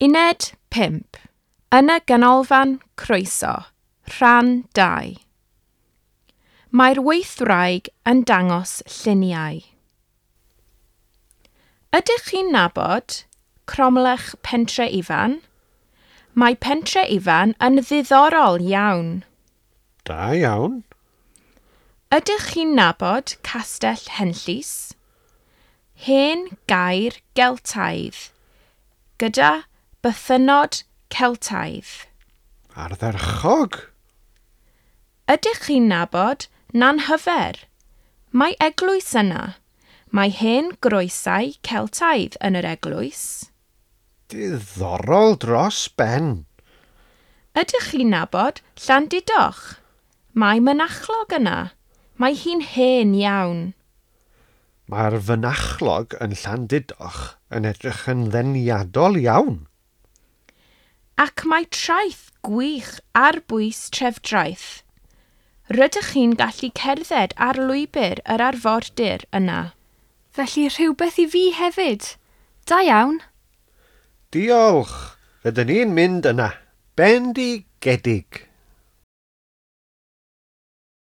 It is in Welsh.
Uned 5. Yn y Ganolfan Croeso, Rhan 2. Mae'r weithwraig yn dangos lluniau. Ydych chi'n nabod Cromlech Pentre Ifan? Mae Pentre Ifan yn ddiddorol iawn. Da iawn. Ydych chi'n nabod Castell Henllys? Hen gaer Geltaidd, gyda bythynnod Celtaidd. Ardderchog! Ydych chi'n nabod Nanhyfer? Mae eglwys yna. Mae hen groesau Celtaidd yn yr eglwys. Diddorol dros ben. Ydych chi'n nabod Llandudoch? Mae mynachlog yna. Mae hi'n hen iawn. Mae'r fynachlog yn Llandudoch yn edrych yn ddeniadol iawn. Ac mae traeth gwych ar bwys Trefdraeth. Rydych chi'n gallu cerdded ar lwybr yr arfordir yna. Felly rhywbeth i fi hefyd. Da iawn. Diolch! Rydyn ni'n mynd yna. Bendigedig!